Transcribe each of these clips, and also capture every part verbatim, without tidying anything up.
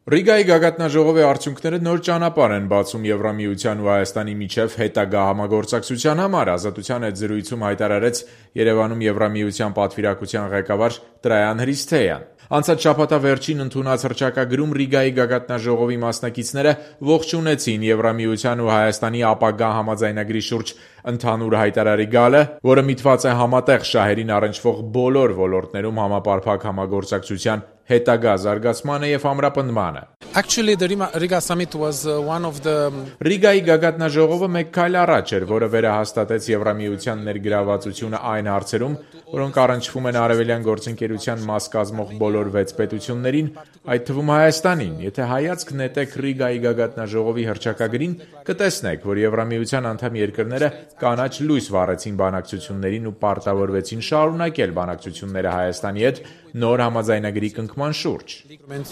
Ռիգայի գագաթնաժողովի արդյունքները նոր ճանապարհ են բացում Եվրամիության ու Հայաստանի միջև հետագա համագործակցության համար, Ազատության հետ զրույցում հայտարարեց Երևանում Եվրամիության պատվիրակության ղեկավար Տրայան Հրիսթեյան։ Անցած շաբաթվա վերջին ընդունած հռչակագրում Ռիգայի գագաթնաժողովի մասնակիցները ողջունեցին Եվրամիության ու Հայաստանի ապագա համաձայնագրի շուրջ ընդհանուր հայտարարի գալը, որը միտված է համատեղ շահերին առնչվող բոլոր ոլորտներում համապարփակ համագործակցության հետագա զարգացմանը և ամրապնդմանը։ Actually, the Riga summit was uh, one of the Ռիգայի գագաթնաժողովը մեկ քայլ առաջ էր, որը վերահաստատեց Եվրամիության ներգրավվածությունը այն հարցերում, որոնք առնչվում են Արևելյան գործընկերության մաս կազմող բոլոր վեց պետություններին, այդ թվում Հայաստանին։ Եթե հայացք նետեք Ռիգայի գագաթնաժողովի հռչակագրին, կտեսնեք, որ Եվրամիության անդամ երկրները կանաչ լույս վառեցին բանակցություններին ու պարտավորվեցին շարունակել բանակցությունները Հայաստանի հետ նոր համաձայնագրի կնքման շուրջ։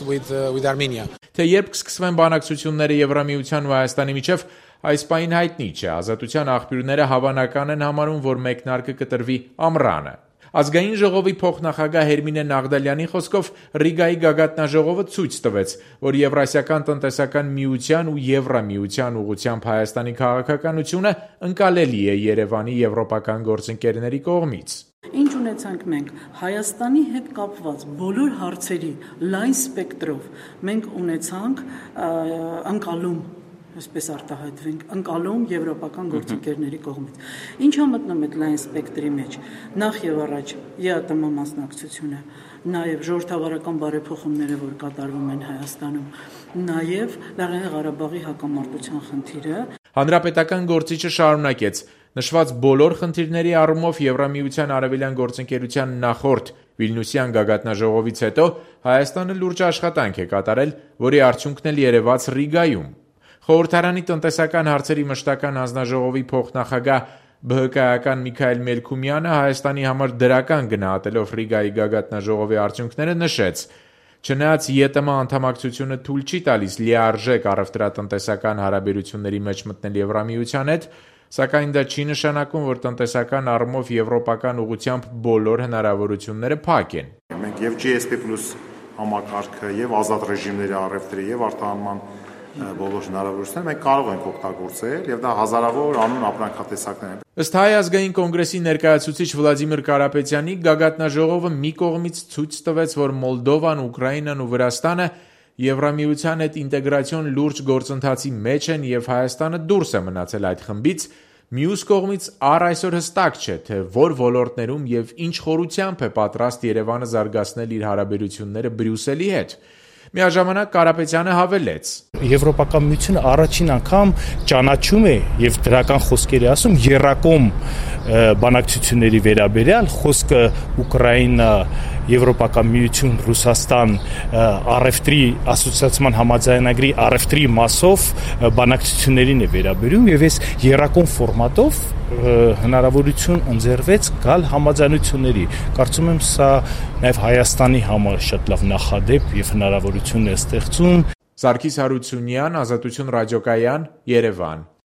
with, uh, with Armenia. Թե երբ կսկսվեն բանակցությունները Եվրամիության ու Հայաստանի միջև, այս պահին հայտնի չէ։ Ազատության աղբյուրները հավանական են համարում, որ մեկնարկը կտրվի ամռանը։ Ազգային ժողովի փոխնախագահ Հերմինե Նաղդալյանի խոսքով Ռիգայի գագաթնաժողովը ցույց տվեց, որ Եվրասիական տնտեսական միության ու Եվրամիության ուղղությամբ Հայաստանի քաղաքականությունը ընկալելի է Երևանի եվրոպական գործընկերների կողմից։ Ինչ ունեցանք մենք Հայաստանի հետ կապված բոլոր հարցերի լայն սպեկտրով մենք ունեցանք անկալում, այսպես արտահայտվենք, անկալում եվրոպական գործընկերների կողմից։ Ինչա մտնում այդ լայն սպեկտրի մեջ։ Նախ եւ առաջ ԵԱՏՄ մասնակցությունը, նաեւ ժողովրդավարական բարեփոխումները, որ կատարվում են Հայաստանում, նաեւ Լեռնային Ղարաբաղի հակամարտության խնդիրը։ Հանրապետական գործիչը շարունակեց. Նշված բոլոր խնդիրների առումով Եվրամիության արևելյան գործընկերության նախորդ Վիլնյուսյան գագաթնաժողովից հետո Հայաստանը լուրջ աշխատանք է կատարել, որի արդյունքն էլ երևաց Ռիգայում։ Խորհրդարանի տնտեսական հարցերի մշտական հանձնաժողովի փոխնախագահ ԲՀԿ-ական Միքայել Մելքումյանը Հայաստանի համար դրական գնահատելով Ռիգայի գագաթնաժողովի արդյունքները նշեց. Չնայած ԵՏՄ անդամակցությունը թույլ չի տալիս լիարժեք առևտրատնտեսական հարաբերությունների մեջ մտնել Եվրամիության հետ, սակայն դա չի նշանակում, որ տնտեսական առումով եվրոպական ուղղությամբ բոլոր հնարավորությունները փակ են։ Մենք եւ G S P plus համակարգը եւ ազատ ռեժիմների առևտրի եւ արտահանման բոլոր հնարավորությունները մենք կարող ենք օգտագործել եւ դա հազարավոր անուն ապրանքատեսակներ են։ Ըստ Հայ ազգային կոնգրեսի ներկայացուցիչ Վլադիմիր Կարապետյանի, գագաթնաժողովը մի կողմից ցույց տվեց, որ Մոլդովան, Ուկրաինան ու Վրաստանը Եվրամիության հետ ինտեգրացիոն լուրջ գործընթացի մեջ են եւ Հայաստանը դուրս է մնացել այդ խմբից, մյուս կողմից առ այսօր հստակ չէ, թե որ ոլորտներում եւ ինչ խորությամբ է պատրաստ Երևանը զարգացնել իր հարաբերությունները Բրյուսելի հետ։ Միաժամանակ Կարապետյանը հավելեց. Եվրոպական միությունը առաջին անգամ ճանաչում է եւ դրական խոսքեր է ասում երակոմ բանակցությունների վերաբերյալ, խոսքը Ուկրաինա, Եվրոպական միություն, Ռուսաստան առևտրի ասոցիացիան համաձայնագրի առևտրի մասով բանակցություններին է վերաբերում եւ այս երակոմ ֆորմատով հնարավորություն ընձեռվեց գալ համաձայնությունների։ Կարծում եմ սա նաեւ Հայաստանի համար շատ լավ նախադեպ եւ հնարավորություն է ստեղծում։ Սարգիս Հարությունյան, Ազատություն ռադիոկայան, Երևան։